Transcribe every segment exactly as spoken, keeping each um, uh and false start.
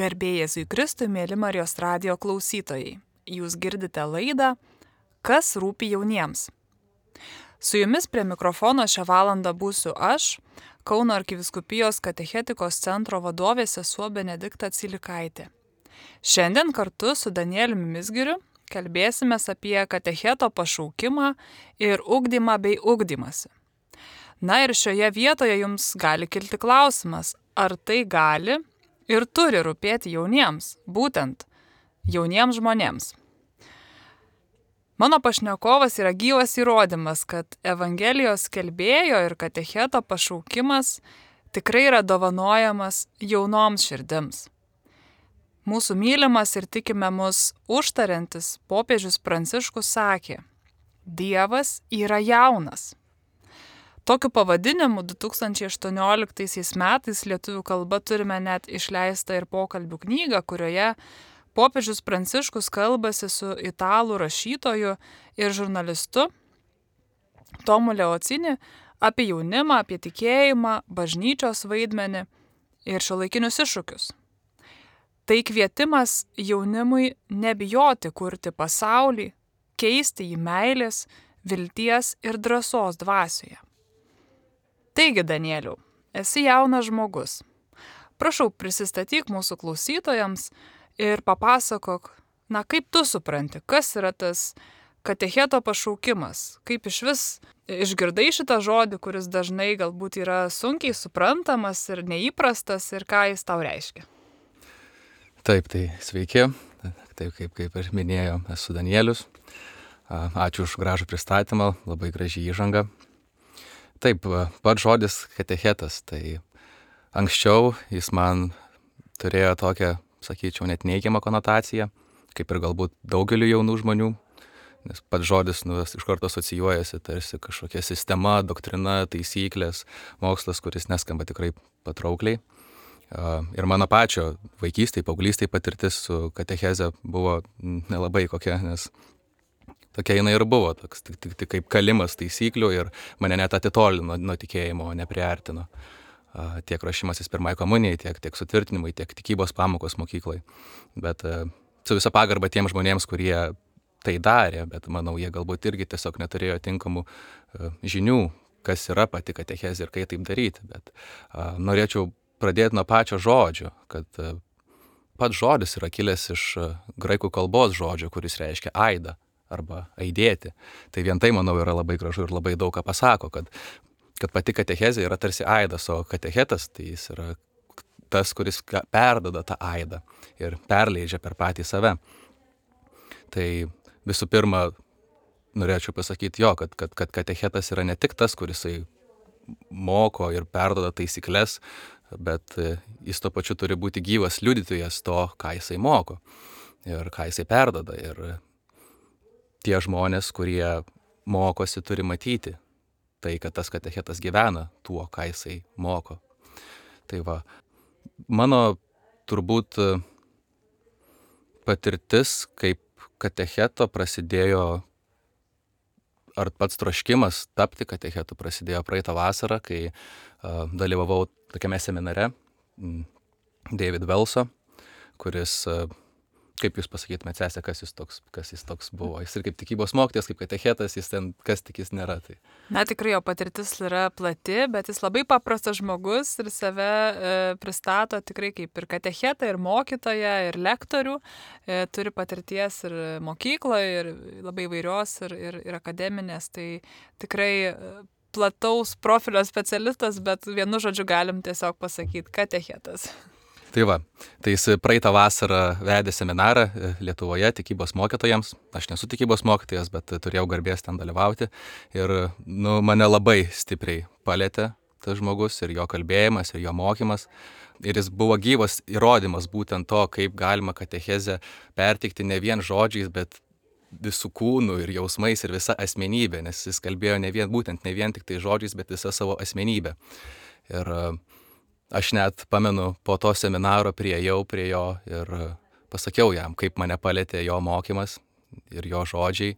Garbė Jėzui Kristui, mėly Marijos radijo klausytojai. Jūs girdite laidą Kas rūpi jauniems. Su jumis prie mikrofono šią valandą būsiu aš, Kauno arkivyskupijos katechetikos centro vadovė sesuo Benedikta Cilikaitė. Šiandien kartu su Danieliumi Mizgiriu kalbėsime apie katecheto pašaukimą ir ugdymą bei ugdymąsi. Na ir šioje vietoje jums gali kilti klausimas, ar tai gali ir turi rūpėti jauniems, būtent jauniems žmonėms. Mano pašnekovas yra gyvas įrodymas, kad Evangelijos skelbėjo ir katecheto pašaukimas tikrai yra dovanojamas jaunoms širdims. Mūsų mylimas ir tikime mus užtariantis popiežius Pranciškus sakė: Dievas yra jaunas. Tokiu pavadinimu du tūkstančiai aštuonioliktaisiais metais lietuvių kalba turime net išleistą ir pokalbių knygą, kurioje popiežius Pranciškus kalbasi su italų rašytoju ir žurnalistu Tomu Leocini apie jaunimą, apie tikėjimą, bažnyčios vaidmenį ir šiuolaikinius iššūkius. Tai kvietimas jaunimui nebijoti kurti pasaulį, keisti jį meilės, vilties ir drąsos dvasioje. Taigi, Danieliau, esi jaunas žmogus. Prašau, prisistatyk mūsų klausytojams ir papasakok, na kaip tu supranti, kas yra tas katecheto pašaukimas, kaip iš vis išgirdai šitą žodį, kuris dažnai galbūt yra sunkiai suprantamas ir neįprastas ir ką jis tau reiškia. Taip, tai sveiki, taip kaip, kaip ir minėjo, esu Danielius. Ačiū už gražų pristatymą, labai graži įžanga. Taip, pats žodis katechetas, tai anksčiau jis man turėjo tokią, sakyčiau, net neigiamą konotaciją, kaip ir galbūt daugeliu jaunų žmonių, nes pats žodis nu, iš karto asocijuojasi tarsi kažkokia sistema, doktrina, taisyklės, mokslas, kuris neskamba tikrai patraukliai. Ir mano pačio vaikystėje, paauglystėje patirtis su katecheze buvo nelabai kokia, nes tokia jinai ir buvo, toks, tik, tik, tik kaip kalimas taisyklių ir mane net atitolino nuo tikėjimo, nepriartino. Tiek ruošimasis pirmai komunijai, tiek, tiek sutvirtinimai, tiek tikybos pamokos mokyklai. Bet su visa pagarba tiems žmonėms, kurie tai darė, bet manau, jie galbūt irgi tiesiog neturėjo tinkamų žinių, kas yra pati katechezė ir kaip taip daryti. Bet a, norėčiau pradėti nuo pačio žodžio, kad a, pats žodis yra kilęs iš a, graikų kalbos žodžio, kuris reiškia aidą arba aidėti. Tai vien tai, manau, yra labai gražu ir labai daug ką pasako, kad kad pati katechezė yra tarsi aidas, o katechetas tai jis yra tas, kuris perduoda tą aidą ir perleidžia per patį save. Tai visų pirma, norėčiau pasakyti jo, kad, kad, kad katechetas yra ne tik tas, kuris moko ir perduoda taisyklės, bet jis tuo pačiu turi būti gyvas liudytojas to, ką jisai moko ir ką jisai perduoda. Ir tie žmonės, kurie mokosi, turi matyti tai, kad tas katechetas gyvena tuo, ką jisai moko. Tai va, mano turbūt patirtis kaip katecheto prasidėjo, ar pats troškimas tapti katechetu prasidėjo praeitą vasarą, kai uh, dalyvavau tokiame seminare David Welso, kuris uh, kaip jūs pasakytumėte, sesė, kas jis toks, kas jis toks buvo. Jis ir kaip tikybos mokytojas, kaip katechetas, jis ten kas tik jis nėra. Tai. Na, tikrai jo patirtis yra plati, bet jis labai paprastas žmogus ir save e, pristato tikrai kaip ir katechetą, ir mokytoją, ir lektorių. E, turi patirties ir mokykloje, ir labai įvairios, ir, ir, ir akademinės. Tai tikrai plataus profilio specialistas, bet vienu žodžiu galim tiesiog pasakyti katechetas. Tai va, tai jis praeitą vasarą vedė seminarą Lietuvoje tikybos mokytojams. Aš nesu tikybos mokytojas, bet turėjau garbės ten dalyvauti. Ir nu, mane labai stipriai palėtė tas žmogus ir jo kalbėjimas, ir jo mokymas. Ir jis buvo gyvas įrodymas būtent to, kaip galima katechezę perteikti ne vien žodžiais, bet visų kūnų ir jausmais ir visa asmenybė. Nes jis kalbėjo ne vien, būtent ne vien tik tai žodžiais, bet visą savo asmenybę. Ir aš net pamenu, po to seminaro priėjau prie jo ir pasakiau jam, kaip mane palėtė jo mokymas ir jo žodžiai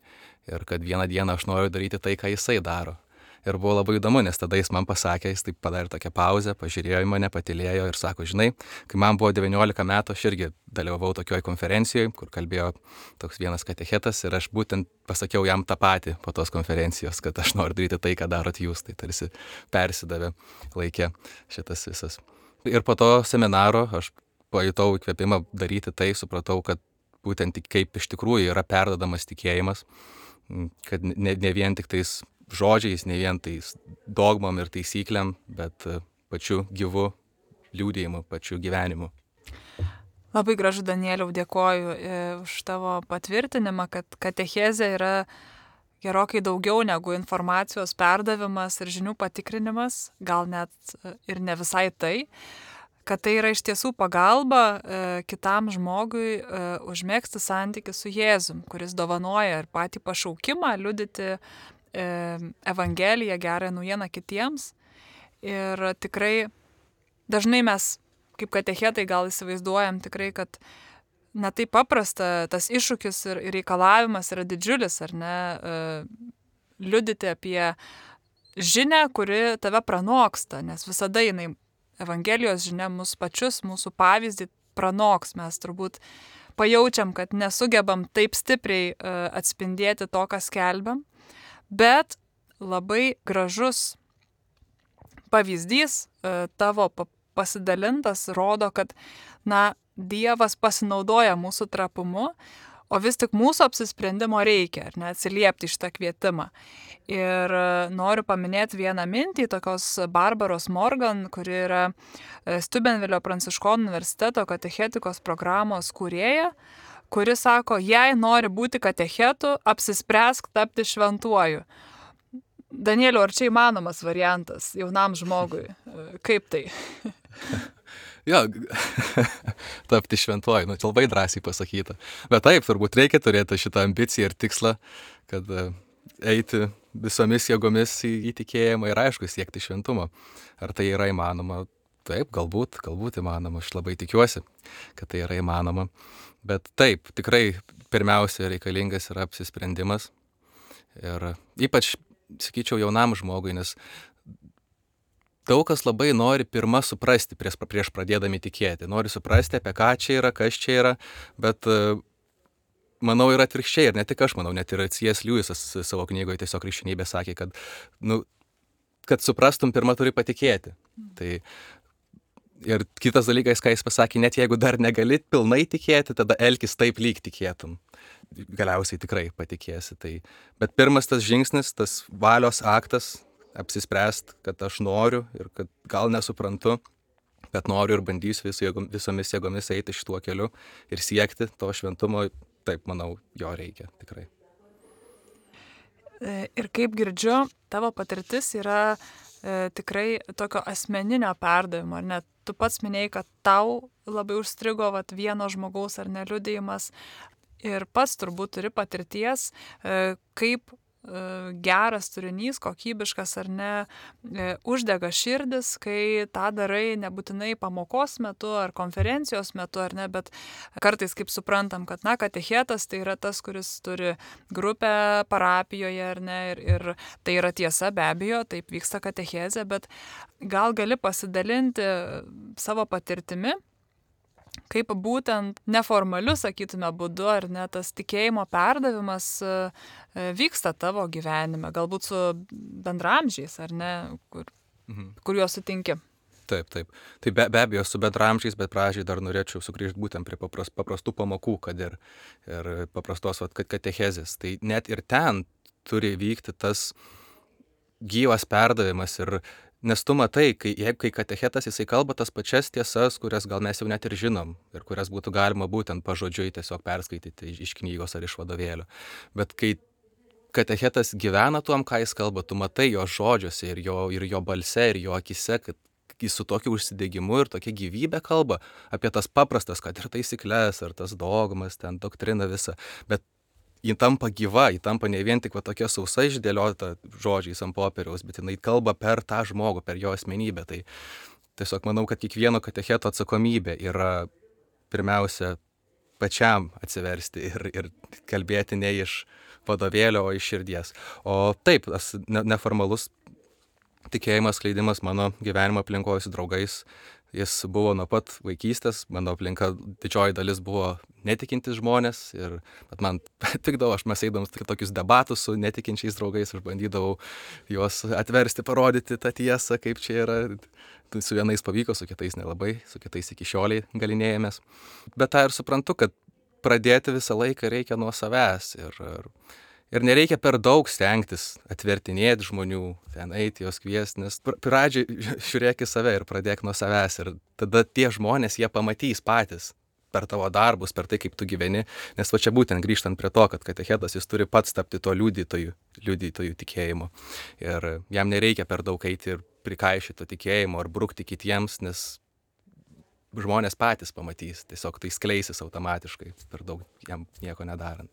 ir kad vieną dieną aš noriu daryti tai, ką jisai daro. Ir buvo labai įdomu, nes tada jis man pasakė, jis taip padarė tokią pauzę, pažiūrėjo į mane, patylėjo ir sako, žinai, kai man buvo devyniolika metų, aš irgi dalyvavau tokioj konferencijoje, kur kalbėjo toks vienas katechetas ir aš būtent pasakiau jam tą patį po tos konferencijos, kad aš noriu daryti tai, ką darot jūs, tai tarsi persidavė laikė šitas visas. Ir po to seminaro aš pajutau įkvėpimą daryti tai, supratau, kad būtent kaip iš tikrųjų yra perdodamas tikėjimas, kad ne, ne vien tik tais žodžiais, ne vien tais dogmom ir taisyklėm, bet pačiu gyvu liūdėjimu, pačiu gyvenimu. Labai gražu, Danieliau, dėkoju už tavo patvirtinimą, kad katechezė yra gerokai daugiau negu informacijos perdavimas ir žinių patikrinimas, gal net ir ne visai tai, kad tai yra iš tiesų pagalba e, kitam žmogui e, užmėgsti santykį su Jėzum, kuris dovanoja ir patį pašaukimą liudyti e, Evangeliją, gerąją naujieną kitiems. Ir tikrai dažnai mes, kaip katechetai, gal įsivaizduojam tikrai, kad ne taip paprasta, tas iššūkis ir, ir reikalavimas yra didžiulis, ar ne, e, liudyti apie žinią, kuri tave pranoksta, nes visada jinai Evangelijos žinia mus pačius, mūsų pavyzdį pranoks. Mes turbūt pajaučiam, kad nesugebam taip stipriai uh, atspindėti to, ką skelbiam, bet labai gražus pavyzdys uh, tavo pasidalintas rodo, kad na, Dievas pasinaudoja mūsų trapumu, o vis tik mūsų apsisprendimo reikia, ar ne, atsiliepti šitą kvietimą. Ir noriu paminėti vieną mintį tokios Barbaros Morgan, kuri yra Steubenvilio Pranciškonų universiteto katechetikos programos kūrėja, kuri sako, jei nori būti katechetu, apsispręsk tapti šventuoju. Danieliau, ar čia įmanomas variantas jaunam žmogui? Kaip tai? Jo, tapti šventuoju, nu, labai drąsiai pasakyta. Bet taip, turbūt reikia turėti šitą ambiciją ir tikslą, kad eiti visomis jėgomis į, į tikėjimą ir aišku siekti šventumo. Ar tai yra įmanoma? Taip, galbūt, galbūt įmanoma. Aš labai tikiuosi, kad tai yra įmanoma. Bet taip, tikrai pirmiausia reikalingas yra apsisprendimas. Ir ypač, sakyčiau, jaunam žmogui, nes daug kas labai nori pirmą suprasti prieš, prieš pradėdami tikėti. Nori suprasti, apie ką čia yra, kas čia yra, bet manau yra atvirkščiai, ir ne tik aš manau, net ir C S Lewisas savo knygoje tiesiog krikščionybė sakė, kad, nu, kad suprastum, pirmą turi patikėti. Tai ir kitas dalykas, ką jis pasakė, net jeigu dar negali pilnai tikėti, tada elkis taip, lyg tikėtum. Galiausiai tikrai patikėsi. Tai. Bet pirmas tas žingsnis, tas valios aktas, apsispręst, kad aš noriu ir kad gal nesuprantu, bet noriu ir bandysiu vis, visomis jėgomis eiti šituo keliu ir siekti to šventumo, taip, manau, jo reikia tikrai. Ir kaip girdžiu, tavo patirtis yra e, tikrai tokio asmeninio perdavimo, ar ne? Tu pats minėjai, kad tau labai užstrigo vat, vieno žmogaus ar ne liudijimas ir pats turbūt turi patirties, e, kaip geras turinys, kokybiškas ar ne, uždega širdis, kai tą darai nebūtinai pamokos metu ar konferencijos metu, ar ne, bet kartais kaip suprantam, kad, na, katechetas tai yra tas, kuris turi grupę parapijoje, ar ne, ir, ir tai yra tiesa, be abejo, taip vyksta katechezė, bet gal gali pasidalinti savo patirtimi, kaip būtent neformaliu, sakytume, būdu, ar ne, tas tikėjimo perdavimas vyksta tavo gyvenime, galbūt su bendramžiais, ar ne, kur, mhm. kur juos sutinki. Taip, taip. Tai be, be abejo su bendramžiais, bet pradžiai dar norėčiau sugrįžti būtent prie papras, paprastų pamokų, kad ir, ir paprastos vat, katechezės. Tai net ir ten turi vykti tas gyvas perdavimas ir nes tu matai, kai, jeigu kai katechetas jisai kalba tas pačias tiesas, kurias gal mes jau net ir žinom ir kurias būtų galima būtent pažodžiui tiesiog perskaityti iš knygos ar iš vadovėlio. Bet kai katechetas gyvena tuom, ką jis kalba, tu matai jo žodžiuose ir jo, ir jo balse, ir jo akise, kad jis su tokiu užsidegimu ir tokia gyvybė kalba apie tas paprastas, kad ir taisyklės, ar tas dogmas, ten doktrina visa, bet ji tampa gyva, ji tampa ne vien tik va tokia sausai išdėliota žodžiais ant popieriaus, bet jinai kalba per tą žmogų, per jo asmenybę. Tai tiesiog manau, kad kiekvieno katecheto atsakomybė yra pirmiausia pačiam atsiversti ir, ir kalbėti ne iš vadovėlio, o iš širdies. O taip, tas neformalus tikėjimas skleidimas mano gyvenimo aplinkoje su draugais. Jis buvo nuo pat vaikystės, mano aplinka didžioji dalis buvo netikintis žmonės ir bet man tikdavo, aš mes eidavom tokius debatus su netikinčiais draugais, aš bandydavau juos atversti, parodyti tą tiesą, kaip čia yra. Su vienais pavyko, su kitais nelabai, su kitais iki šioliai galinėjomės. Bet tą ir suprantu, kad pradėti visą laiką reikia nuo savęs ir, ir, ir nereikia per daug stengtis atvertinėti žmonių, ten eiti, juos kviesti, nes pradžiai žiūrėk į save ir pradėk nuo savęs ir tada tie žmonės, jie pamatys patys per tavo darbus, per tai, kaip tu gyveni, nes va čia būtent grįžtant prie to, kad katechetas jis turi pats tapti to liudytojų, liudytojų tikėjimo ir jam nereikia per daug eiti ir prikaišyti to tikėjimo ar brukti kitiems, nes žmonės patys pamatys, tiesiog tai skleisis automatiškai, per daug jam nieko nedarant.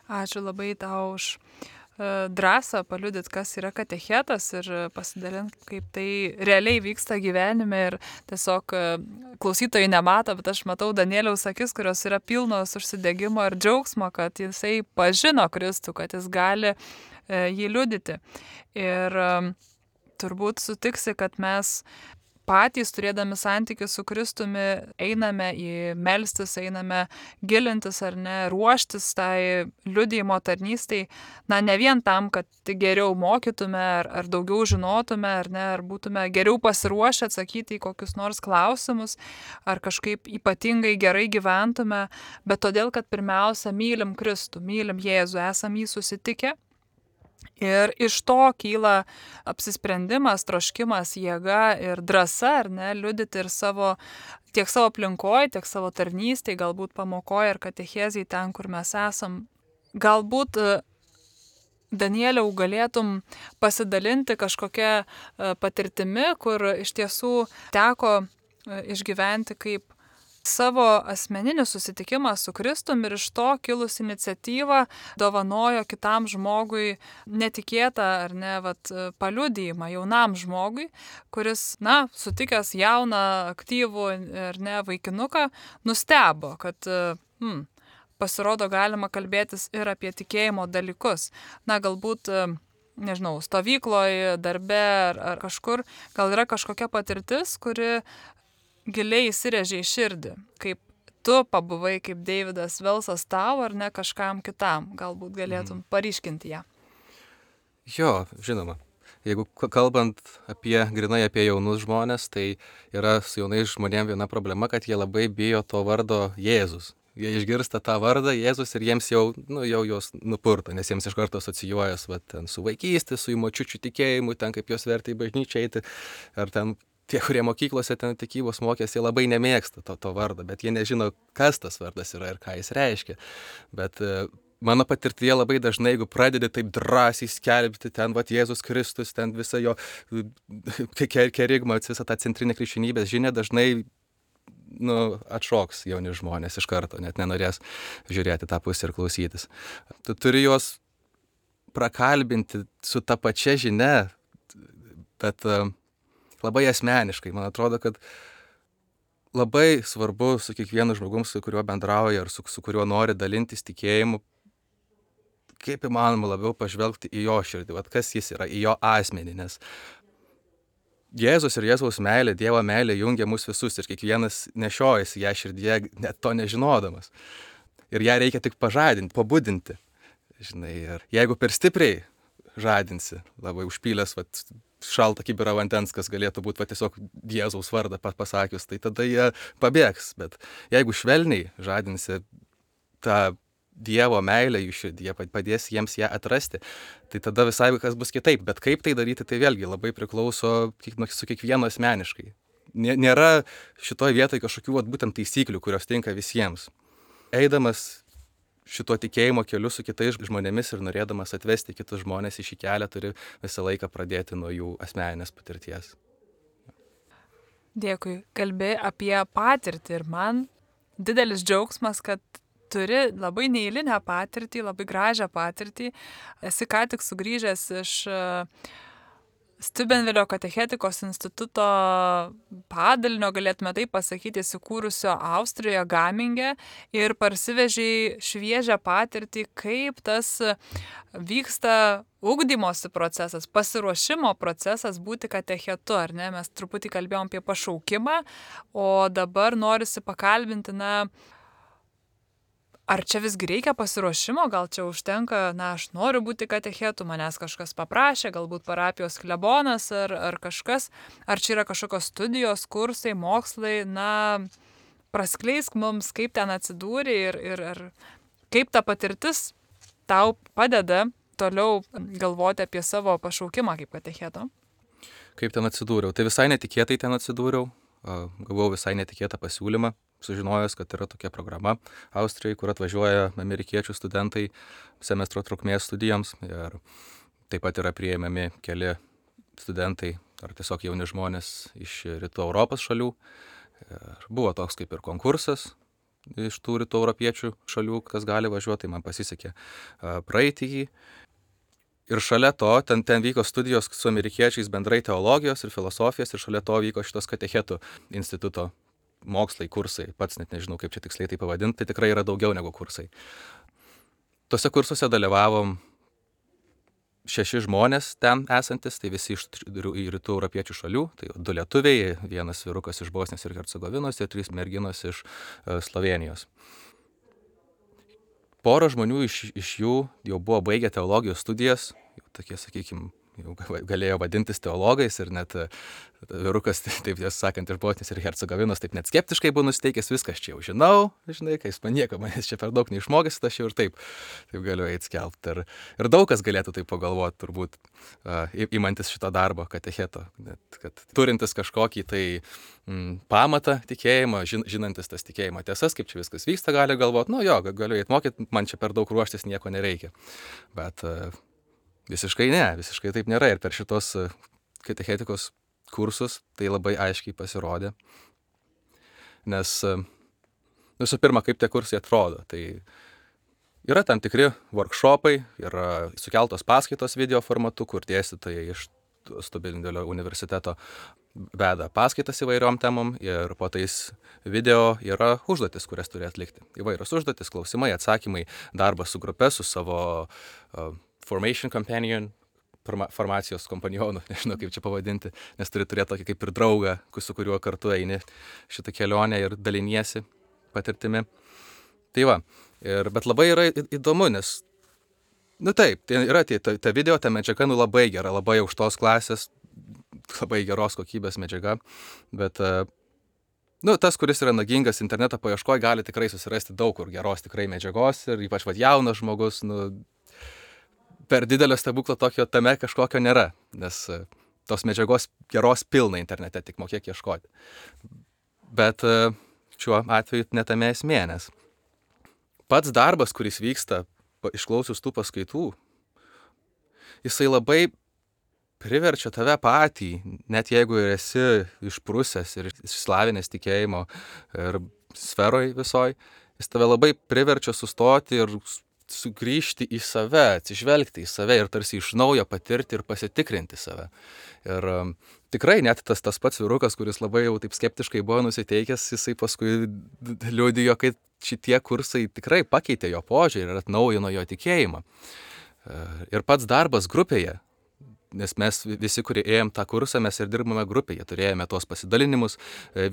Ačiū labai tau už drąsą paliudyti, kas yra katechetas ir pasidalinti, kaip tai realiai vyksta gyvenime ir tiesiog klausytojai nemato, bet aš matau Danieliaus akis, kurios yra pilnos užsidegimo ir džiaugsmo, kad jisai pažino Kristų, kad jis gali jį liudyti. Ir turbūt sutiksi, kad mes patys, turėdami santykių su Kristumi, einame į melstis, einame gilintis ar ne, ruoštis tai liudijimo tarnystai, na ne vien tam, kad geriau mokytume ar, ar daugiau žinotume, ar ne, ar būtume geriau pasiruošę atsakyti į kokius nors klausimus, ar kažkaip ypatingai gerai gyventume, bet todėl, kad pirmiausia mylim Kristų, mylim Jėzų, esam jį susitikę. Ir iš to kyla apsisprendimas, troškimas, jėga ir drąsa, ar ne, liudyti ir savo, tiek savo aplinkoje, tiek savo tarnystėje, galbūt pamokoje ir katechezijai ten, kur mes esam. Galbūt, Danieliau, galėtum pasidalinti kažkokią patirtimi, kur iš tiesų teko išgyventi kaip savo asmeninį susitikimą su Kristumi ir iš to kilus iniciatyvą dovanojo kitam žmogui netikėtą ar ne, vat, paliudijimą jaunam žmogui, kuris, na, sutikęs jauną, aktyvų ar ne, vaikinuką, nustebo, kad hmm, pasirodo galima kalbėtis ir apie tikėjimo dalykus. Na, galbūt nežinau, stovykloje, darbe ar, ar kažkur, gal yra kažkokia patirtis, kuri giliai įsirėžė į širdį, kaip tu pabuvai, kaip Deividas Velsas tau, ar ne kažkam kitam, galbūt galėtum paryškinti ją. Jo, žinoma. Jeigu kalbant apie, grinai apie jaunus žmonės, tai yra su jaunais žmonėm viena problema, kad jie labai bijo to vardo Jėzus. Jie išgirsta tą vardą Jėzus ir jiems jau, nu, jau jos nupurta, nes jiems iš karto asocijuojas va, ten, su vaikystė, su jų močiučių tikėjimu, ten kaip jos vertė į bažnyčią eiti, ar ten tie, kurie mokyklose ten tikybos mokėsi, jie labai nemėgsta to, to vardą, bet jie nežino, kas tas vardas yra ir ką jis reiškia. Bet e, mano patirtyje labai dažnai, jeigu pradedi taip drąsiai skelbti ten, va, Jėzus Kristus, ten visą jo kerigmą, visą tą centrinę krikščionybės žinią, dažnai nu, atšoks jauni žmonės iš karto, net nenorės žiūrėti tą pusę ir klausytis. Tu turi juos prakalbinti su ta pačia žinia, bet e, labai asmeniškai. Man atrodo, kad labai svarbu su kiekvienu žmogum, su kuriuo bendrauja ar su, su kuriuo nori dalintis tikėjimu, kaip įmanoma labiau pažvelgti į jo širdį, vat kas jis yra, į jo asmenį, nes Jėzus ir Jėzaus meilė, Dievo meilė jungia mus visus ir kiekvienas nešiojasi ją širdyje, net to nežinodamas. Ir ją reikia tik pažadinti, pabudinti. Žinai, ir jeigu per stipriai žadinsi, labai užpylęs vat, šaltą kibirą vandens, kas galėtų būti va, tiesiog Jėzaus vardą pasakius, tai tada jie pabėgs. Bet jeigu švelniai žadinsi tą Dievo meilę jų širdyje, padės jiems ją atrasti, tai tada visai kas bus kitaip. Bet kaip tai daryti, tai vėlgi labai priklauso su kiekvienu asmeniškai. Nėra šitoje vietoje kažkokių vat, būtent taisyklių, kurios tinka visiems. Eidamas šito tikėjimo keliu su kitais žmonėmis ir norėdamas atvesti kitus žmonės į šį kelią, turi visą laiką pradėti nuo jų asmeninės patirties. Dėkui. Kalbė apie patirtį ir man didelis džiaugsmas, kad turi labai neeilinę patirtį, labai gražią patirtį. Esi ką tik sugrįžęs iš Stiubenvilio katechetikos instituto padalinio, galėtume taip pasakyti, įsikūrusio Austrijoje Gaminge ir parsivežei šviežią patirtį, kaip tas vyksta ugdymosi procesas, pasiruošimo procesas būti katechetu, ar ne? Mes truputį kalbėjom apie pašaukimą, o dabar norisi pakalbinti, na, ar čia visgi reikia pasiruošimo, gal čia užtenka, na, aš noriu būti katechetu, manęs kažkas paprašė, galbūt parapijos klebonas ar, ar kažkas, ar čia yra kažkokios studijos, kursai, mokslai, na, praskleisk mums, kaip ten atsidūrė ir, ir, ir kaip ta patirtis tau padeda toliau galvoti apie savo pašaukimą kaip katecheto. Kaip ten atsidūriau? Tai visai netikėtai ten atsidūriau, gavau visai netikėtą pasiūlymą. Sužinojęs, kad yra tokia programa Austrijoje, kur atvažiuoja amerikiečių studentai semestro trukmės studijoms ir taip pat yra priėmami keli studentai ar tiesiog jauni žmonės iš rytų Europos šalių. Ir buvo toks kaip ir konkursas iš tų rytų europiečių šalių, kas gali važiuoti, tai man pasisekė praeiti jį. Ir šalia to, ten, ten vyko studijos su amerikiečiais bendrai teologijos ir filosofijos ir šalia to vyko šitos katechetų instituto mokslai, kursai, pats net nežinau, kaip čia tiksliai tai pavadinti, tai tikrai yra daugiau negu kursai. Tuose kursuose dalyvavom šeši žmonės ten esantis, tai visi iš rytų europiečių šalių, tai du lietuviai, vienas vyrukas iš Bosnijos ir Hercegovinos ir trys merginos iš Slovėnijos. Pora žmonių iš, iš jų jau buvo baigę teologijos studijas, jau tokie, sakykime, jau galėjo vadintis teologais ir net vyrukas, taip tiesą sakant, iš Bosnijos ir Hercegovinos, taip net skeptiškai buvo nusiteikęs, viskas čia jau žinau, žinai, kai jis man nieko, manęs čia per daug neišmokęs, aš jau ir taip, taip galiu eiti skelbti. Ir, ir daug kas galėtų taip pagalvoti, turbūt, uh, įmantis šito darbo katecheto, net, kad turintis kažkokį tai mm, pamatą tikėjimo, žin, žinantis tas tikėjimo tiesas, kaip čia viskas vyksta, gali galvoti, nu jo, galiu eiti mokyti, man čia per daug ruoštis nieko nereikia. Bet uh, visiškai ne, visiškai taip nėra ir per šitos katechetikos kursus tai labai aiškiai pasirodė. Nes visų pirma, kaip tie kursai atrodo, tai yra tam tikri workshopai, yra sukeltos paskaitos video formatu, kur dėstytojai iš Stiubenvilio universiteto veda paskaitas įvairiom temom ir po tais video yra užduotis, kurias turi atlikti. Įvairios užduotis, klausimai, atsakymai, darbas su grupe, su savo uh, formation companion, forma, formacijos kompanionų, nežinau kaip čia pavadinti, nes turi turėti tokį kaip ir draugą, su kuriuo kartu eini šitą kelionę ir daliniesi patirtimi. Tai va, ir, bet labai yra įdomu, nes, nu taip, tai yra tai, ta, ta video, ta medžiaga, nu labai gera, labai aukštos klasės, labai geros kokybės medžiaga, bet, nu, tas, kuris yra nagingas interneto paieškoje, gali tikrai susirasti daug kur geros tikrai medžiagos ir ypač vad jaunas žmogus, nu, per didelio stebuklo tokio tame kažkokio nėra, nes tos medžiagos geros pilna internete, tik mokėk ieškoti. Bet šiuo atveju netame esmė, nes pats darbas, kuris vyksta išklausius tų paskaitų, jisai labai priverčia tave patį, net jeigu ir esi išprusęs ir išsilavinęs tikėjimo ir sferoj visoj, jis tave labai priverčia sustoti ir sugrįžti į save, atsižvelgti į save ir tarsi iš naujo patirti ir pasitikrinti save. Ir um, tikrai net tas, tas pats vyrukas, kuris labai jau taip skeptiškai buvo nusiteikęs, jisai paskui liudijo, kad šitie kursai tikrai pakeitė jo požiūrį ir atnaujino jo tikėjimą. Ir pats darbas grupėje, nes mes visi, kurie ėjom tą kursą, mes ir dirbame grupėje, turėjome tuos pasidalinimus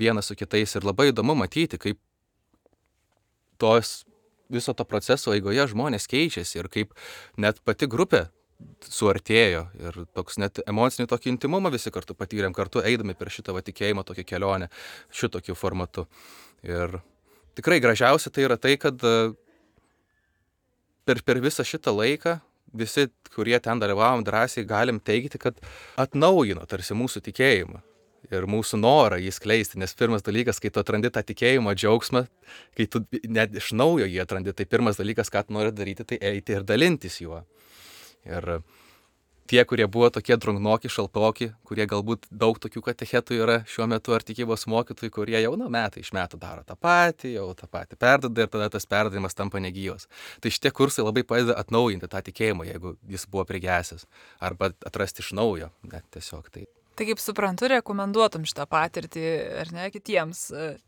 vienas su kitais ir labai įdomu matyti, kaip tos viso to proceso eigoje žmonės keičiasi ir kaip net pati grupė suartėjo ir toks net emocinį tokį intimumą visi kartu patyrėm, kartu eidami per šitą va, tikėjimo tokią kelionę šitokiu formatu. Ir tikrai gražiausia tai yra tai, kad per, per visą šitą laiką visi, kurie ten dalyvavom, drąsiai galim teigti, kad atnaujino tarsi mūsų tikėjimą ir mūsų norą jį skleisti, nes pirmas dalykas, kai tu atrandi tą tikėjimo džiaugsmą, kai tu net iš naujo jį atrandi, tai pirmas dalykas, ką tu nori daryti, tai eiti ir dalintis juo. Ir tie, kurie buvo tokie drungnoki, šaltoki, kurie galbūt daug tokių katechetų yra šiuo metu ar tikybos mokytojų, kurie jau nu, metai iš metų daro tą patį, jau tą patį perdada ir tada tas perdavimas tampa negyvas. Tai šitie kursai labai padeda atnaujinti tą tikėjimą, jeigu jis buvo prigesęs, arba atrasti iš naujo, net tiesiog tai. Tai kaip suprantu, rekomenduotum šitą patirtį, ar ne, kitiems.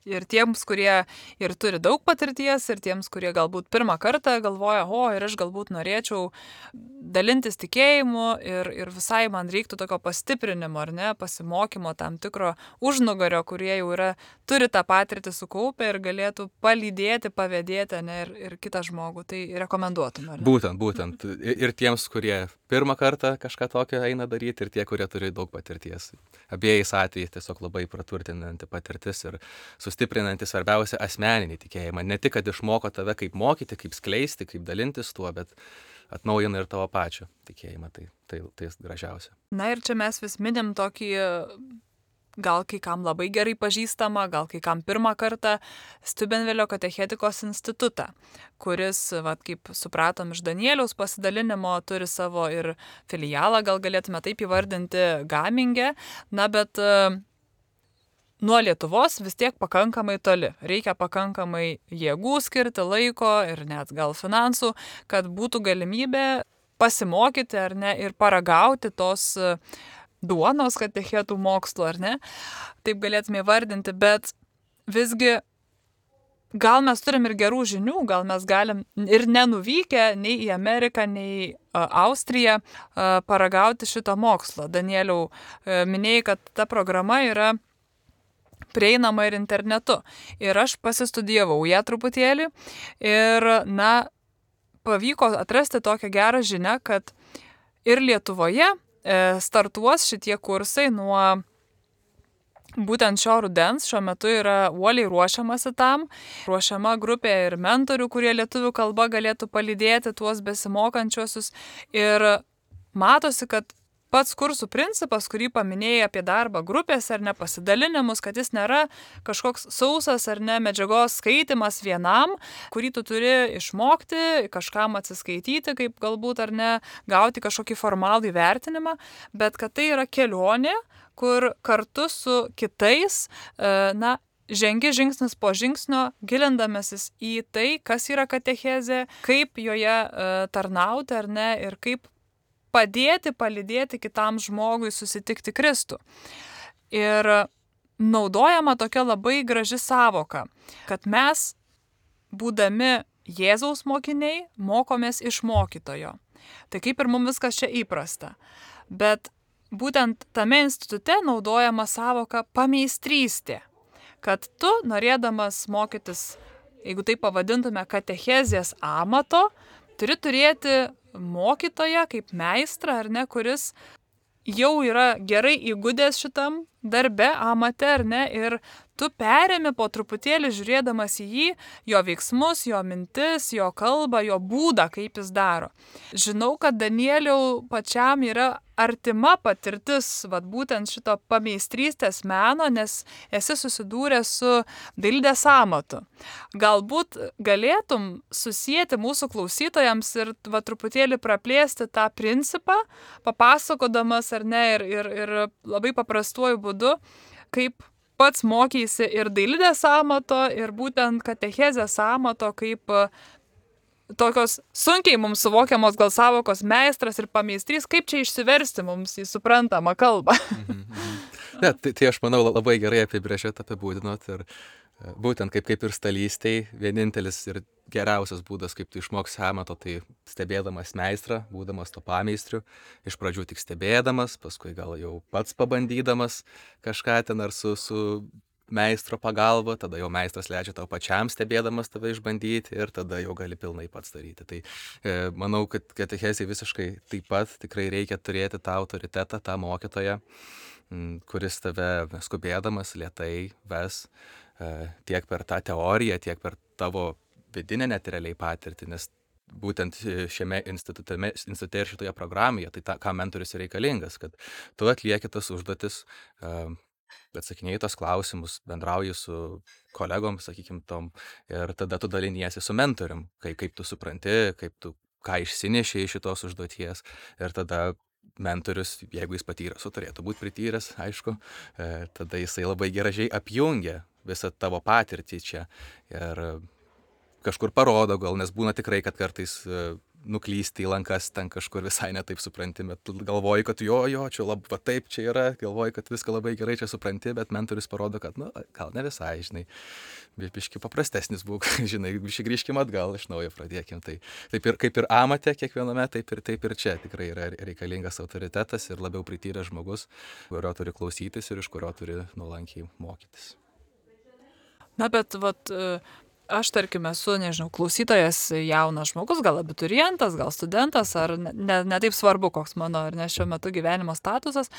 Ir tiems, kurie ir turi daug patirties, ir tiems, kurie galbūt pirmą kartą galvoja, o, ir aš galbūt norėčiau dalintis tikėjimu ir, ir visai man reiktų tokio pastiprinimo, ar ne, pasimokymo tam tikro užnugario, kurie jau yra, turi tą patirtį sukaupę ir galėtų palydėti, pavėdėti, ne, ir, ir kitą žmogų. Tai rekomenduotum, ar ne? Būtent, būtent. Ir tiems, kurie pirmą kartą kažką tokio eina daryti, ir tie, kurie turi daug patirties. Abiejais atvejais tiesiog labai praturtinanti patirtis ir sustiprinanti svarbiausia asmeninį tikėjimą. Ne tik, kad išmoko tave kaip mokyti, kaip skleisti, kaip dalintis tuo, bet atnaujina ir tavo pačio tikėjimą. Tai, tai, tai gražiausia. Na ir čia mes vis minim tokį, gal kai kam labai gerai pažįstamą, gal kai kam pirmą kartą Stubenvelio katechetikos institutą, kuris, vat, kaip supratom iš Danieliaus pasidalinimo, turi savo ir filialą, gal galėtume taip įvardinti, Gaminge, na bet uh, nuo Lietuvos vis tiek pakankamai toli. Reikia pakankamai jėgų skirti, laiko ir net gal finansų, kad būtų galimybė pasimokyti ar ne ir paragauti tos uh, duonos katechetų mokslo, ar ne? Taip galėtume įvardinti, bet visgi gal mes turim ir gerų žinių, gal mes galim ir nenuvykę nei į Ameriką, nei a, Austriją a, paragauti šito mokslo. Danieliau, a, minėjai, kad ta programa yra prieinama ir internetu. Ir aš pasistudijavau ją truputėlį ir, na, pavyko atrasti tokią gerą žinią, kad ir Lietuvoje startuos šitie kursai nuo būtent šio rudens. Šiuo metu yra uoliai ruošiamasi tam, ruošiama grupė ir mentorių, kurie lietuvių kalba galėtų palydėti tuos besimokančiuosius. Ir matosi, kad pats kursų principas, kurį paminėjai apie darbą grupėse ar ne pasidalinimus, kad jis nėra kažkoks sausas ar ne medžiagos skaitimas vienam, kurį tu turi išmokti, kažkam atsiskaityti, kaip galbūt ar ne, gauti kažkokį formalų įvertinimą, bet kad tai yra kelionė, kur kartu su kitais, na, žengi žingsnis po žingsnio, gilindamasis į tai, kas yra katechezė, kaip joje tarnauti ar ne ir kaip padėti, palydėti kitam žmogui susitikti Kristų. Ir naudojama tokia labai graži savoka, kad mes, būdami Jėzaus mokiniai, mokomės iš mokytojo. Tai kaip ir mums viskas čia įprasta. Bet būtent tame institute naudojama savoka pameistrystė, kad tu, norėdamas mokytis, jeigu tai pavadintume katechezės amato, turi turėti mokytoją kaip meistrą, ar ne, kuris jau yra gerai įgudęs šitam darbe, amate, ar ne, ir tu perėmi po truputėlį žiūrėdamas į jį, jo veiksmus, jo mintis, jo kalbą, jo būdą, kaip jis daro. Žinau, kad Danieliau pačiam yra artima patirtis, vat būtent šito pameistrystės meno, nes esi susidūręs su dailidės amatu. Galbūt galėtum susijęti mūsų klausytojams ir va, truputėlį praplėsti tą principą, papasakodamas ar ne, ir, ir, ir labai paprastuoju būdu, kaip pats mokeisi ir dailidės amato, ir būtent katechezės amato, kaip tokios sunkiai mums suvokiamos gal savokos meistras ir pameistrys, kaip čia išsiversti mums į suprantamą kalbą. Ne, tai, tai aš manau labai gerai apibrėžėt, apibūdinot ir būtent kaip, kaip ir stalystėj, vienintelis ir geriausias būdas, kaip tu išmoksi amato, tai stebėdamas meistrą, būdamas to pameistriu, iš pradžių tik stebėdamas, paskui gal jau pats pabandydamas kažką ten ar su, su meistro pagalba, tada jau meistras leidžia tau pačiam stebėdamas tave išbandyti ir tada jau gali pilnai pats daryti. Tai e, manau, kad katechezei visiškai taip pat tikrai reikia turėti tą autoritetą, tą mokytoją, m, kuris tave skubėdamas lėtai ves e, tiek per tą teoriją, tiek per tavo vidinę net realiai patirtį, nes būtent šiame institute, institute ir šitoje programoje, tai ta, ką mentorius yra reikalingas, kad tu atlieki tas užduotis, e, atsakinėjai tos klausimus, bendrauji su kolegom, sakykim, tom, ir tada tu daliniesi su mentorium, kaip, kaip tu supranti, kaip tu, ką išsineši iš šitos užduoties, ir tada mentorius, jeigu jis patyręs, o turėtų būti prityręs, aišku, tada jisai labai gražiai apjungia visą tavo patirtį čia ir kažkur parodo gal, nes būna tikrai, kad kartais nuklysti į lankas ten kažkur visai netaip supranti, bet galvoji, kad jo, jo, čia labai, va taip čia yra, galvoji, kad viską labai gerai čia supranti, bet mentorius parodo, kad, nu, gal ne visai, žinai, biški paprastesnis būk, žinai, biški grįžkim atgal, iš naujo pradėkim. Tai taip ir, kaip ir amate kiekviename, taip ir, taip ir čia tikrai yra reikalingas autoritetas ir labiau prityręs žmogus, kurio turi klausytis ir iš kurio turi nuolankiai mokytis. Na, bet, vat, aš, tarkim, esu, nežinau, klausytojas jaunas žmogus, gal abiturientas, gal studentas, ar ne, ne taip svarbu, koks mano, ar ne šiuo metu gyvenimo statusas.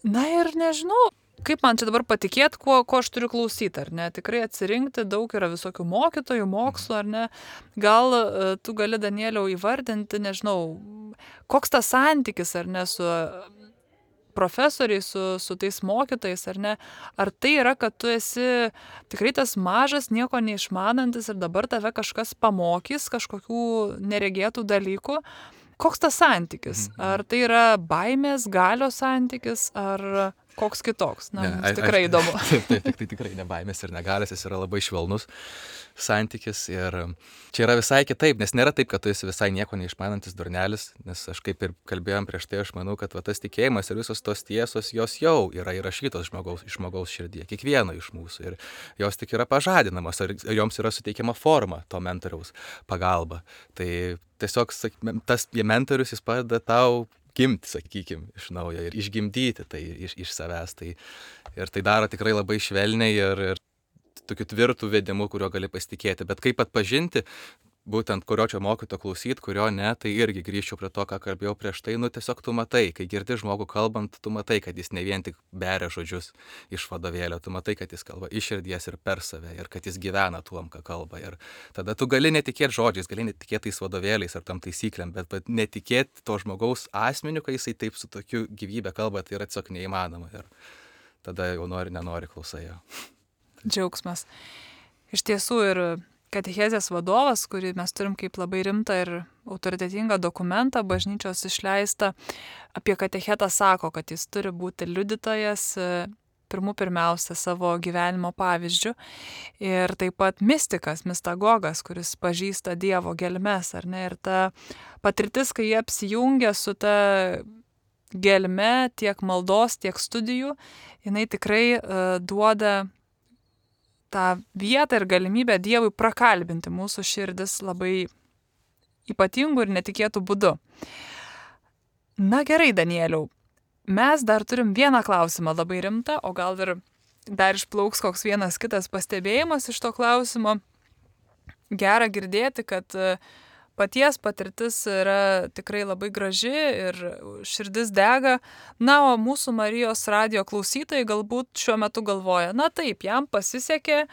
Na ir nežinau, kaip man čia dabar patikėti, ko, ko aš turiu klausyti, ar ne? Tikrai atsirinkti daug yra visokių mokytojų, mokslo, ar ne? Gal tu gali, Danieliau, įvardinti, nežinau, koks tas santykis, ar ne, su profesoriai, su, su tais mokytojais, ar ne? Ar tai yra, kad tu esi tikrai tas mažas, nieko neišmanantis ir dabar tave kažkas pamokys kažkokių neregėtų dalykų? Koks tas santykis? Ar tai yra baimės, galios santykis, ar koks kitoks? Na, ne, mums tikrai aš, įdomu. Taip, taip, taip, tai tikrai ne baimės ir negalės, jis yra labai švelnus santykis ir čia yra visai kitaip, nes nėra taip, kad tu esi visai nieko neišmanantis durnelis, nes aš kaip ir kalbėjom prieš tai, aš manau, kad va, tas tikėjimas ir visos tos tiesos, jos jau yra įrašytos žmogaus, žmogaus širdyje, kiekvieno iš mūsų ir jos tik yra pažadinamos ir joms yra suteikiama forma to mentoriaus pagalba. Tai tiesiog tas mentorius, jis padeda tau gimti, sakykim, iš naujo ir išgimdyti tai iš, iš savęs. Tai, ir tai daro tikrai labai švelniai ir, ir tokiu tvirtų vedimu, kurio gali pasitikėti. Bet kaip atpažinti, būtent kurio čia mokyto klausyti, kurio ne, tai irgi grįžčiau prie to, ką kalbėjau prieš tai. Nu tiesiog tu matai, kai girdi žmogų kalbant, tu matai, kad jis ne vien tik beria žodžius iš vadovėlio, tu matai, kad jis kalba iš širdies ir per save ir kad jis gyvena tuom, ką kalba. Ir tada tu gali netikėti žodžiais, gali netikėti tais vadovėliais ar tam taisyklėm, bet, bet netikėti to žmogaus asmeniu, kai jisai taip su tokiu gyvybė kalba, tai yra tiesiog neįmanoma. Ir tada jau nori, nenori klausai jo. Džiaugsmas. Iš tiesų ir katechezės vadovas, kurį mes turim kaip labai rimtą ir autoritetingą dokumentą, bažnyčios išleistą, apie katechetą sako, kad jis turi būti liudytojas pirmų pirmiausia savo gyvenimo pavyzdžių ir taip pat mistikas, mistagogas, kuris pažįsta Dievo gelmes, ar ne? Ir ta patirtis, kai jie apsijungia su ta gelme tiek maldos, tiek studijų, jinai tikrai uh, duoda tą vietą ir galimybę Dievui prakalbinti mūsų širdis labai ypatingų ir netikėtų būdu. Na gerai, Danieliau, mes dar turim vieną klausimą labai rimtą, o gal ir dar išplauks koks vienas kitas pastebėjimas iš to klausimo. Gera girdėti, kad paties patirtis yra tikrai labai graži ir širdis dega. Na, o mūsų Marijos radijo klausytojai galbūt šiuo metu galvoja, na taip, jam pasisekė,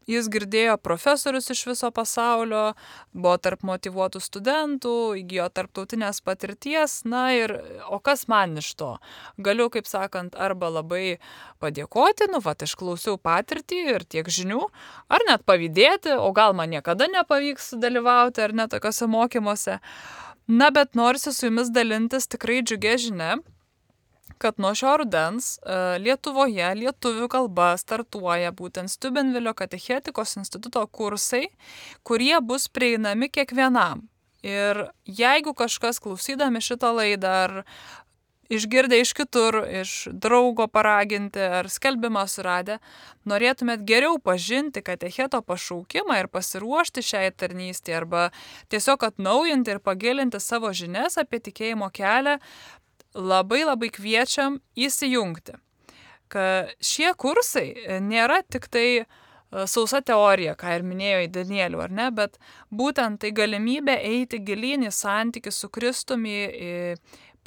jis girdėjo profesorius iš viso pasaulio, buvo tarp motyvuotų studentų, įgijo tarptautinės patirties, na ir o kas man iš to? Galiu, kaip sakant, arba labai padėkoti, nu, vat, išklausiau patirtį ir tiek žinių, ar net pavydėti, o gal man niekada nepavyks dalyvauti, ar net tokiuose mokymuose. Na, bet norisi su jumis dalintis tikrai džiugia žinia, kad nuo šio rudens Lietuvoje lietuvių kalba startuoja būtent Steubenvilio katechetikos instituto kursai, kurie bus prieinami kiekvienam. Ir jeigu kažkas klausydami šitą laidą ar išgirdę iš kitur, iš draugo paraginti ar skelbimą suradę, norėtumėt geriau pažinti katecheto pašaukimą ir pasiruošti šiai tarnystei arba tiesiog atnaujinti ir pagilinti savo žinias apie tikėjimo kelią, labai labai kviečiam įsijungti. Kad šie kursai nėra tik tai sausa teorija, ką ir minėjo į Danielių, ar ne, bet būtent tai galimybė eiti gilyn į santykį su Kristumi,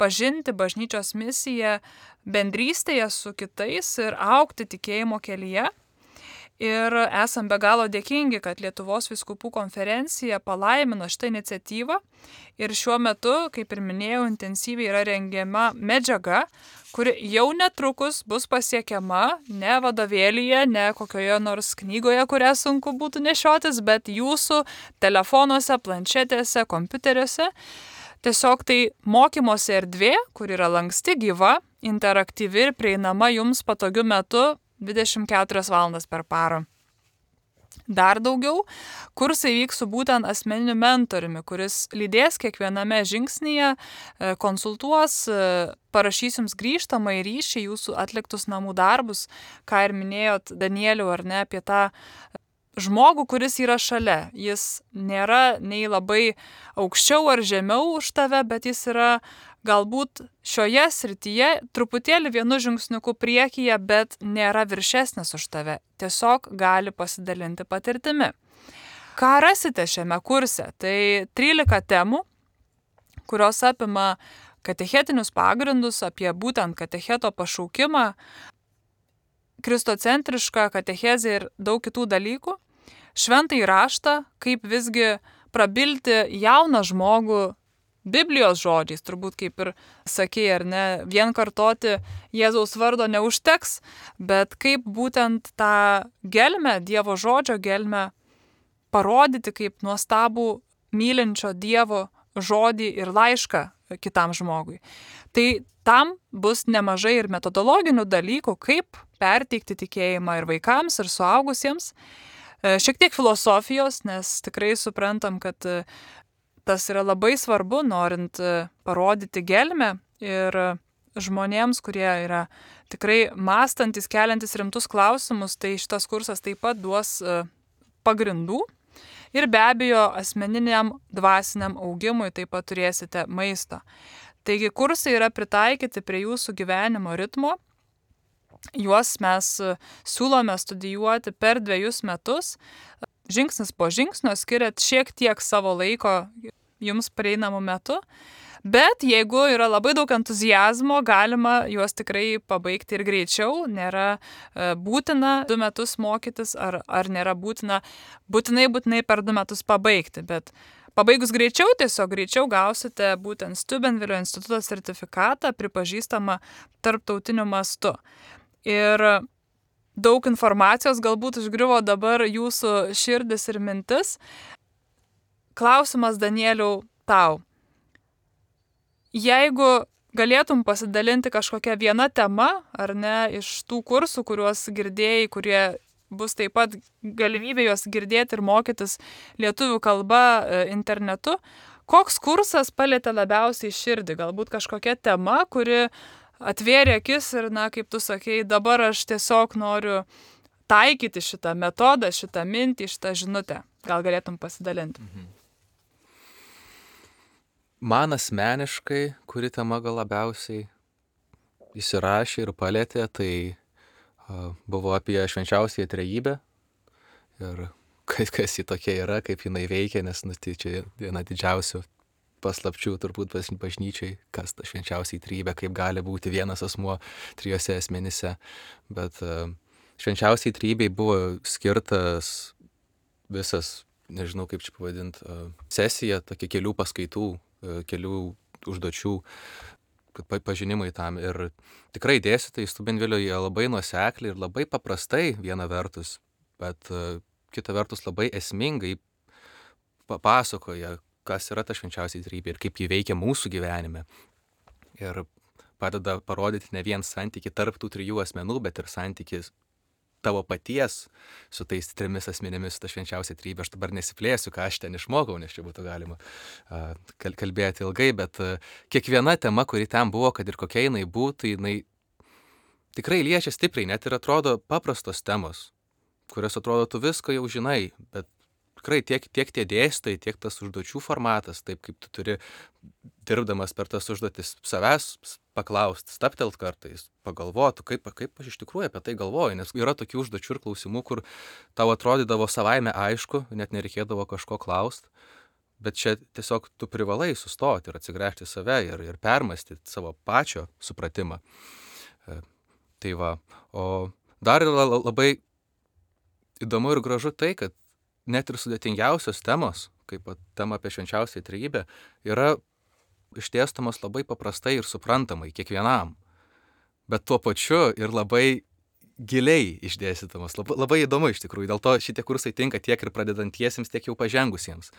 pažinti bažnyčios misiją bendrystėje su kitais ir augti tikėjimo kelyje. Ir esam be galo dėkingi, kad Lietuvos vyskupų konferencija palaimino šitą iniciatyvą ir šiuo metu, kaip ir minėjau, intensyviai yra rengiama medžiaga, kuri jau netrukus bus pasiekiama ne vadovėlyje, ne kokioje nors knygoje, kurią sunku būtų nešiotis, bet jūsų telefonuose, planšetėse, kompiuteriuose. tiesiog tai mokymosi erdvė, kur yra lanksti, gyva, interaktyvi ir prieinama jums patogiu metu dvidešimt keturias valandas per parą. Dar daugiau, kursai vyks su būtent asmeniniu mentoriumi, kuris lydės kiekviename žingsnyje, konsultuos, parašys jums grįžtamą į ryšį jūsų atliktus namų darbus, ką ir minėjot Danieliau, ar ne, apie tą žmogų, kuris yra šalia. Jis nėra nei labai aukščiau ar žemiau už tave, bet jis yra galbūt šioje srityje truputėlį vienu žingsniuku priekyje, bet nėra viršesnis už tave. Tiesiog gali pasidalinti patirtimi. Ką rasite šiame kurse? Tai trylika temų, kurios apima katechetinius pagrindus apie būtent katecheto pašaukimą, kristocentrišką katechezę ir daug kitų dalykų. Šventąjį raštą, kaip visgi prabilti jauną žmogų Biblijos žodžiais, turbūt kaip ir sakei, ar ne, vien kartoti Jėzaus vardo neužteks, bet kaip būtent tą gelmę, Dievo žodžio gelmę parodyti kaip nuostabų mylinčio Dievo žodį ir laišką kitam žmogui. Tai tam bus nemažai ir metodologinių dalykų, kaip perteikti tikėjimą ir vaikams, ir suaugusiems. Šiek tiek filosofijos, nes tikrai suprantam, kad tas yra labai svarbu, norint parodyti gelmę ir žmonėms, kurie yra tikrai mąstantis, keliantis rimtus klausimus, tai šitas kursas taip pat duos pagrindų. Ir be abejo, asmeniniam dvasiniam augimui taip pat turėsite maisto. Taigi kursai yra pritaikyti prie jūsų gyvenimo ritmo. Juos mes siūlome studijuoti per dviejus metus. Žingsnis po žingsnio skiriat šiek tiek savo laiko jums prieinamų metu, bet jeigu yra labai daug entuzijazmo, galima juos tikrai pabaigti ir greičiau. Nėra būtina du metus mokytis, ar, ar nėra būtina būtinai, būtinai per du metus pabaigti, bet pabaigus greičiau, tiesiog greičiau gausite būtent Steubenvilio instituto sertifikatą, pripažįstamą tarptautiniu mastu. Ir daug informacijos galbūt užgriuvo dabar jūsų širdis ir mintis. Klausimas, Danieliau, tau. Jeigu galėtum pasidalinti kažkokią vieną temą, ar ne, iš tų kursų, kuriuos girdėjai, kurie bus taip pat galimybė juos girdėti ir mokytis lietuvių kalba internetu, koks kursas palietė labiausiai širdį? Galbūt kažkokia tema, kuri atvėrė akis ir, na, kaip tu sakei, dabar aš tiesiog noriu taikyti šitą metodą, šitą mintį, šitą žinutę. Gal galėtum pasidalinti? Mhm. Man asmeniškai, kuri tema gal labiausiai įsirašė ir palėtė, tai uh, buvo apie švenčiausiąją trejybę ir kas ji tokia yra, kaip jinai veikia, nes nu, tai čia viena didžiausių paslapčių turbūt bažnyčiai, kas ta švenčiausiai trejybė, kaip gali būti vienas asmuo trijose asmenyse. Bet uh, švenčiausiai trejybei buvo skirtas visas, nežinau kaip čia pavadinti, uh, sesija, tokia kelių paskaitų, kelių užduočių pažinimai tam. Ir tikrai dėstytojai Steubenvilio jie labai nuosekliai ir labai paprastai viena vertus, bet kita vertus labai esmingai papasakoja, kas yra ta švenčiausiai trejybė ir kaip ji veikia mūsų gyvenime. Ir padeda parodyti ne vien santykį tarp tų trijų asmenų, bet ir santykis tavo paties su tais trimis asmenėmis, ta švenčiausia trejybė. Aš dabar nesiplėsiu, ką aš ten išmokau, nes čia būtų galima uh, kalbėti ilgai, bet uh, kiekviena tema, kuri ten buvo, kad ir kokia jinai būtų, jinai tikrai liečia stipriai, net ir atrodo paprastos temos, kurios atrodo tu visko jau žinai, bet tikrai tiek, tiek tie dėstai, tiek tas užduočių formatas, taip kaip tu turi dirbdamas per tas užduotis savęs paklausti, staptelt kartais, pagalvotų, kaip, kaip aš iš tikrųjų apie tai galvoju, nes yra tokių užduočių ir klausimų, kur tau atrodydavo savaime aišku, net nereikėdavo kažko klausti, bet čia tiesiog tu privalai sustoti ir atsigręžti save ir, ir permastyti savo pačio supratimą. E, tai va, o dar yra labai įdomu ir gražu tai, kad net ir sudėtingiausios temos, kaip tema apie švenčiausiąją trejybę, yra išdėstamos labai paprastai ir suprantamai kiekvienam, bet tuo pačiu ir labai giliai išdėstytamos. Labai, labai įdomu iš tikrųjų. Dėl to šitie kursai tinka tiek ir pradedantiesiems, tiek jau pažengusiems.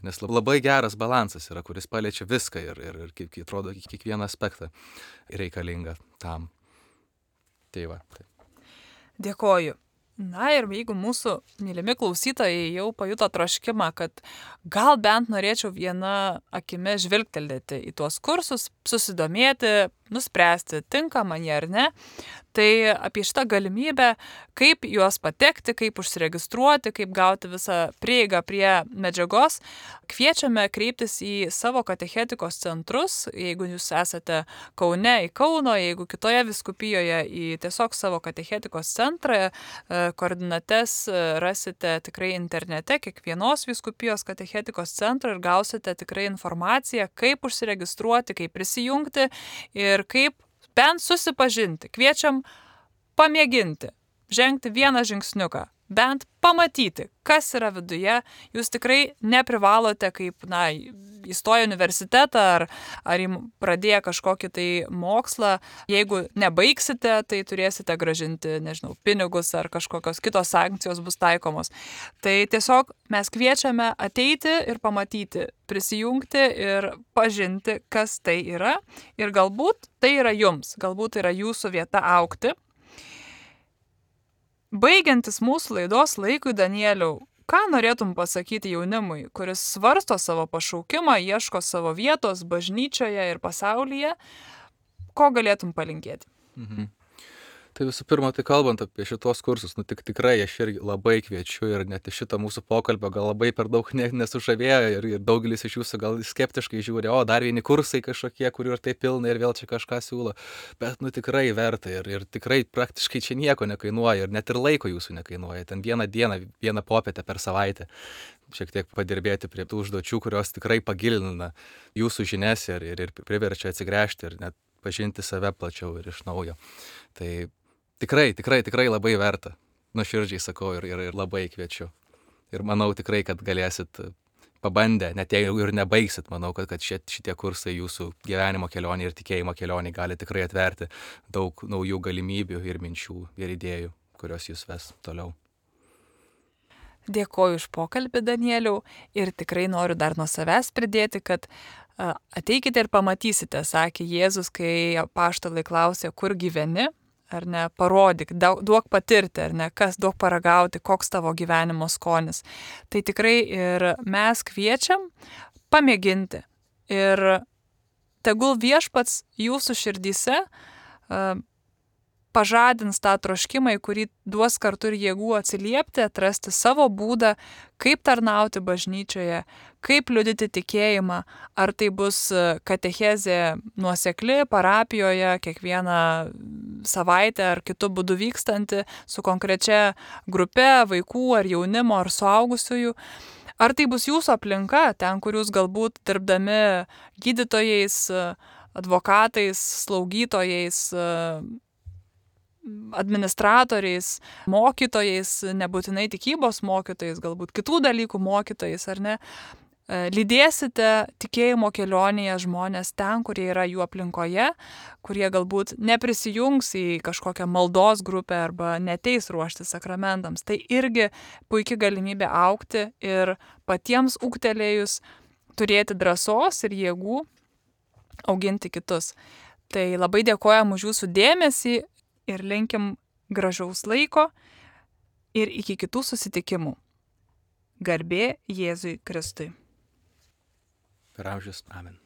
Nes labai geras balansas yra, kuris paliečia viską ir, ir, ir kaip atrodo, kiekvieną aspektą reikalinga tam. Tai va. Tai. Dėkoju. Na ir jeigu mūsų mylimi klausytojai jau pajuto troškimą, kad gal bent norėčiau vieną akimi žvilgtelėti į tuos kursus, susidomėti, nuspręsti, tinka man jie ar ne, tai apie šitą galimybę, kaip juos patekti, kaip užsiregistruoti, kaip gauti visą prieigą prie medžiagos, kviečiame kreiptis į savo katechetikos centrus, jeigu jūs esate Kaune, į Kauno, jeigu kitoje vyskupijoje, į tiesiog savo katechetikos centrą, koordinates rasite tikrai internete, kiekvienos vyskupijos katechetikos centro ir gausite tikrai informaciją, kaip užsiregistruoti, kaip prisijungti ir kaip bent susipažinti. Kviečiam pamėginti, žengti vieną žingsniuką, bent pamatyti, kas yra viduje. Jūs tikrai neprivalote, kaip, na, įstoję universitetą ar, ar pradėję kažkokį tai mokslą. Jeigu nebaigsite, tai turėsite gražinti, nežinau, pinigus ar kažkokios kitos sankcijos bus taikomos. Tai tiesiog mes kviečiame ateiti ir pamatyti, prisijungti ir pažinti, kas tai yra. Ir galbūt tai yra jums, galbūt tai yra jūsų vieta augti. Baigiantis mūsų laidos laikui, Danieliau, ką norėtum pasakyti jaunimui, kuris svarsto savo pašaukimą, ieško savo vietos bažnyčioje ir pasaulyje, ko galėtum palinkėti? Mhm. Tai visų pirma, tai kalbant apie šitos kursus, nu tik tikrai aš irgi labai kviečiu ir net šitą mūsų pokalbio gal labai per daug ne, nesužavėjo ir, ir daugelis iš jūsų gal skeptiškai žiūri, o dar vieni kursai kažkokie, kurių ir tai pilna ir vėl čia kažką siūlo, bet nu tikrai verta ir, ir tikrai praktiškai čia nieko nekainuoja ir net ir laiko jūsų nekainuoja, ten vieną dieną, vieną popietę per savaitę šiek tiek padirbėti prie tų užduočių, kurios tikrai pagilina jūsų žinias ir, ir, ir priverčia atsigręžti ir net pažinti save plačiau ir iš naujo. Tai Tikrai, tikrai, tikrai labai verta. Nuoširdžiai sakau ir, ir, ir labai kviečiu. Ir manau tikrai, kad galėsit pabandę, net jeigu ir nebaigsit, manau, kad, kad šit, šitie kursai jūsų gyvenimo kelionė ir tikėjimo kelionė gali tikrai atverti daug naujų galimybių ir minčių ir idėjų, kurios jūs ves toliau. Dėkoju už pokalbį, Danieliau, ir tikrai noriu dar nuo savęs pridėti, kad ateikite ir pamatysite, sakė Jėzus, kai apaštalai klausė, kur gyveni. Ar ne, parodyk, duok patirti, ar ne, kas duok paragauti, koks tavo gyvenimo skonis. Tai tikrai ir mes kviečiam pamėginti. Ir tegul Viešpats jūsų širdyse uh, pažadins tą troškimą, į kurį duos kartu ir jėgų atsiliepti, atrasti savo būdą, kaip tarnauti bažnyčioje, kaip liudyti tikėjimą, ar tai bus katechezė nuosekli parapijoje, kiekvieną savaitę ar kitu būdu vykstanti su konkrečia grupe vaikų ar jaunimo ar suaugusiųjų. Ar tai bus jūsų aplinka, ten, kur jūs galbūt dirbdami gydytojais, advokatais, slaugytojais, administratoriais, mokytojais, nebūtinai tikybos mokytojais, galbūt kitų dalykų mokytojais, ar ne, lydėsite tikėjimo kelionėje žmonės ten, kurie yra jų aplinkoje, kurie galbūt neprisijungs į kažkokią maldos grupę arba neteis ruošti sakramentams. Tai irgi puikia galimybė augti ir patiems ūgtelėjus turėti drąsos ir jėgų auginti kitus. Tai labai dėkojam už jūsų dėmesį ir linkim gražaus laiko ir iki kitų susitikimų. Garbė Jėzui Kristui. Per amžius. Amen.